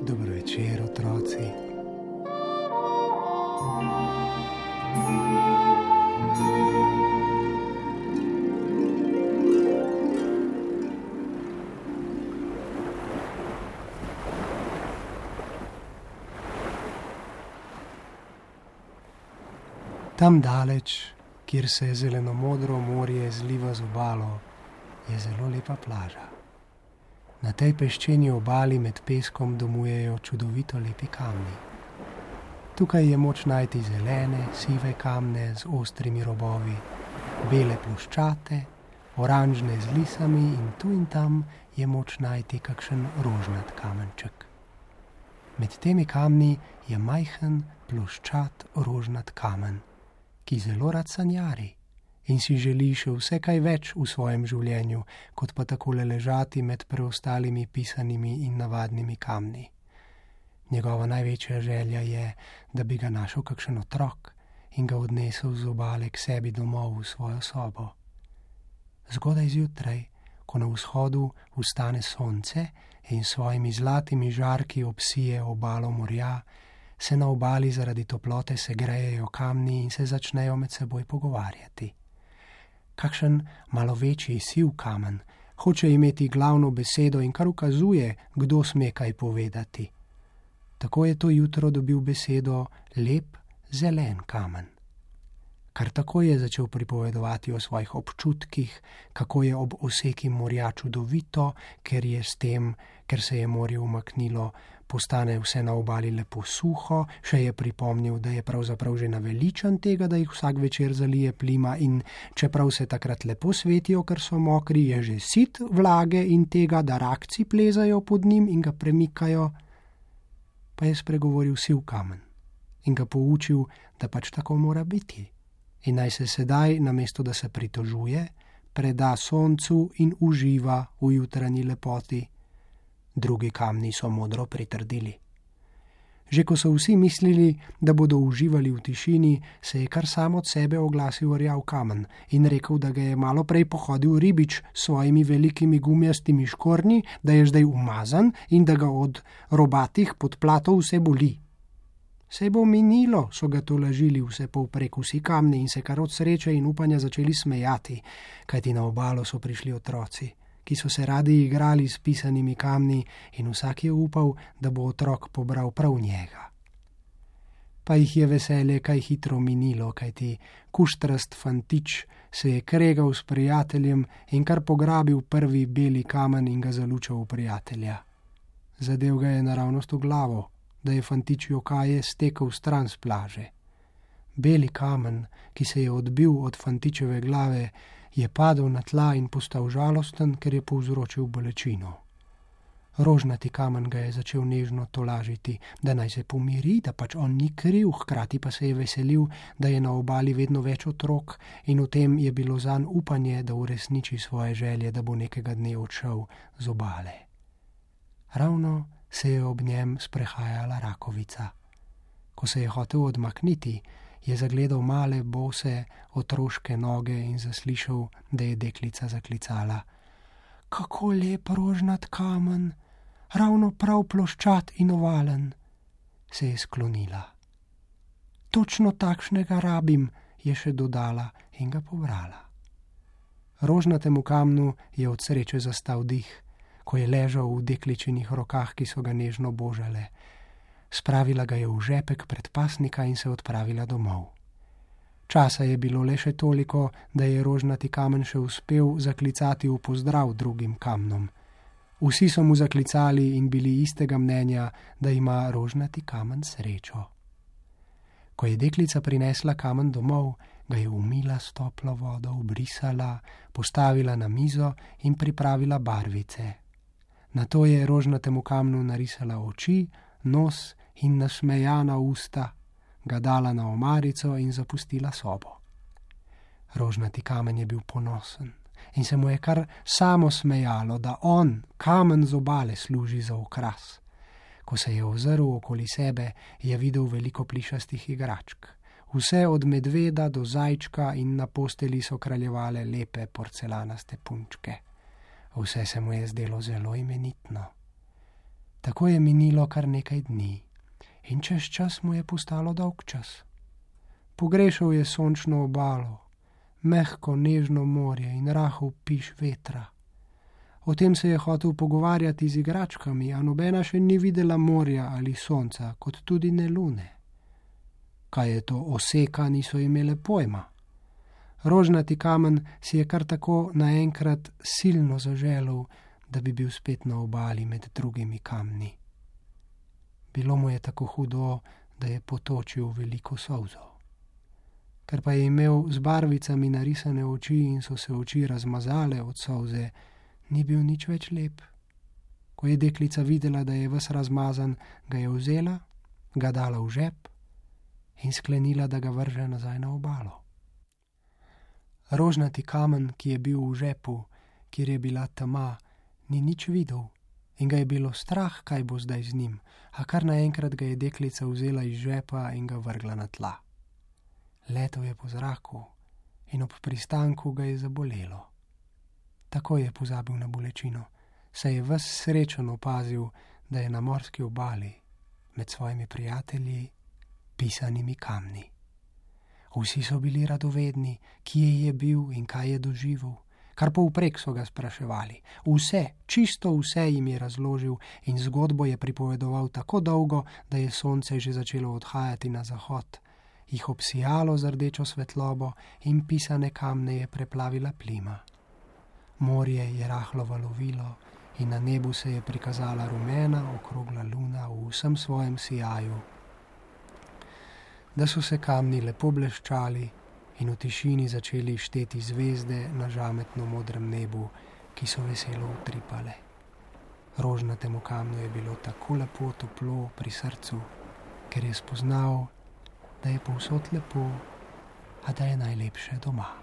Dobro večer, otroci. Tam daleč, kjer se zeleno-modro morje zliva z obalo, je zelo lepa plaža. Na tej peščeni obali med peskom domujejo čudovito lepi kamni. Tukaj je moč najti zelene, sive kamne z ostrimi robovi, bele ploščate, oranžne z lisami in tu in tam je moč najti kakšen rožnat kamenček. Med temi kamni je majhen ploščat rožnat kamen, ki zelo rad sanjari in si želi še vse kaj več v svojem življenju, kot pa takole ležati med preostalimi pisanimi in navadnimi kamni. Njegova največja želja je, da bi ga našel kakšen otrok in ga odnesel z obale k sebi domov v svojo sobo. Zgodaj zjutraj, ko na vzhodu vstane sonce in s svojimi zlatimi žarki obsije obalo morja, se na obali zaradi toplote segrejejo kamni in se začnejo med seboj pogovarjati. Kakšen malo večji siv kamen hoče imeti glavno besedo in kar ukazuje, kdo sme kaj povedati. Tako je to jutro dobil besedo lep zelen kamen. Kar tako je začel pripovedovati o svojih občutkih, kako je ob oseki morja čudovito, ker se je morje umaknilo, postane vse na obali lepo suho, še je pripomnil, da je pravzaprav že naveličan tega, da jih vsak večer zalije plima in čeprav se takrat lepo svetijo, ker so mokri, je že sit vlage in tega, da rakci plezajo pod njim in ga premikajo. Pa je spregovoril siv kamen in ga poučil, da pač tako mora biti. In naj se sedaj, namesto da se pritožuje, preda soncu in uživa v jutranji lepoti. Drugi kamni so modro pritrdili. Že ko so vsi mislili, da bodo uživali v tišini, se je kar sam od sebe oglasil rjav kamen in rekel, da ga je malo prej pohodil ribič s svojimi velikimi gumijastimi škornji, da je zdaj umazan in da ga od robatih podplatov vse boli. Sej bo minilo, so ga tolažili vse povprek vsi kamni in se kar od sreče in upanja začeli smejati, kajti na obalo so prišli otroci, ki so se radi igrali s pisanimi kamni in vsak je upal, da bo otrok pobral prav njega. Pa jih je veselje kaj hitro minilo, kajti kuštrast fantič se je kregal s prijateljem in kar pograbil prvi beli kamen in ga zalučal v prijatelja. Zadev ga je naravnost v glavo, da je fantič jokaje stekel stran s plaže. Beli kamen, ki se je odbil od fantičeve glave, je padel na tla in postal žalosten, ker je povzročil bolečino. Rožnati kamen ga je začel nežno tolažiti, da naj se pomiri, da pač on ni kriv, hkrati pa se je veselil, da je na obali vedno več otrok in v tem je bilo zanj upanje, da uresniči svoje želje, da bo nekega dne odšel z obale. Ravno se je ob njem sprehajala rakovica. Ko se je hotel odmakniti, je zagledal male, bose, otroške noge in zaslišal, da je deklica zaklicala: "Kako lep rožnat kamen, ravno prav ploščat in ovalen." Se je sklonila. "Točno takšnega rabim," je še dodala in ga pobrala. Rožnatemu kamnu je od sreče zastal dih, ko je ležal v dekličinih rokah, ki so ga nežno božale. Spravila ga je v žepek predpasnika in se odpravila domov. Časa je bilo le še toliko, da je rožnati kamen še uspel zaklicati v pozdrav drugim kamnom. Vsi so mu zaklicali in bili istega mnenja, da ima rožnati kamen srečo. Ko je deklica prinesla kamen domov, ga je umila s toplo vodo, obrisala, postavila na mizo in pripravila barvice. Nato je rožnatemu kamnu narisala oči, nos in nasmejana usta, ga dala na omarico in zapustila sobo. Rožnati kamen je bil ponosen in se mu je kar samo smejalo, da on, kamen z obale, služi za okras. Ko se je ozrl okoli sebe, je videl veliko plišastih igračk. Vse od medveda do zajčka in na posteli so kraljevale lepe porcelanaste punčke. Vse se mu je zdelo zelo imenitno. Tako je minilo kar nekaj dni in čez čas mu je postalo dolg čas. Pogrešal je sončno obalo, mehko nežno morje in rahel piš vetra. O tem se je hotel pogovarjati z igračkami, a nobena še ni videla morja ali sonca, kot tudi ne lune. Kaj je to oseka, niso imele pojma. Rožnati kamen si je kar tako naenkrat silno zaželel, da bi bil spet na obali med drugimi kamni. Bilo mu je tako hudo, da je potočil veliko solzo. Ker pa je imel z barvicami narisane oči in so se oči razmazale od solze, ni bil nič več lep. Ko je deklica videla, da je ves razmazan, ga je vzela, ga dala v žep in sklenila, da ga vrže nazaj na obalo. Rožnati kamen, ki je bil v žepu, kjer je bila tema, ni nič videl in ga je bilo strah, kaj bo zdaj z njim, a kar naenkrat ga je deklica vzela iz žepa in ga vrgla na tla. Letel je po zraku in ob pristanku ga je zabolelo. Tako je pozabil na bolečino, saj je ves srečen opazil, da je na morski obali med svojimi prijatelji pisanimi kamni. Vsi so bili radovedni, kje je bil in kaj je doživel, kar povprek so ga spraševali. Vse, čisto vse jim je razložil in zgodbo je pripovedoval tako dolgo, da je sonce že začelo odhajati na zahod, jih obsijalo z rdečo svetlobo in pisane kamne je preplavila plima. Morje je rahlo valovilo in na nebu se je prikazala rumena okrogla luna v vsem svojem sijaju. Da so se kamni lepo bleščali in v tišini začeli šteti zvezde na žametno modrem nebu, ki so veselo utripale. Rožnatemu kamnu je bilo tako lepo toplo pri srcu, ker je spoznal, da je povsod lepo, a da je najlepše doma.